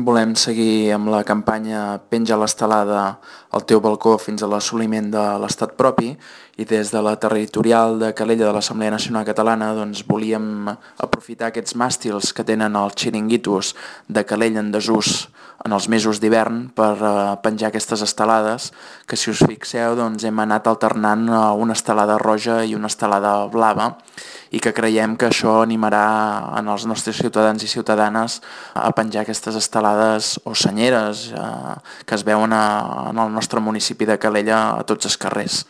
Volem seguir amb la campanya Penja l'estelada al teu balcó fins a l'assoliment de l'estat propi i des de la territorial de Calella de l'Assemblea Nacional Catalana volíem aprofitar aquests màstils que tenen els xiringuitos de Calella en desús en els mesos d'hivern per penjar aquestes estelades que, si us fixeu, hem anat alternant una estelada roja i una estelada blava i que creiem que això animarà en els nostres ciutadans i ciutadanes a penjar aquestes estelades o senyeres que es veuen en el nostre municipi de Calella a tots els carrers.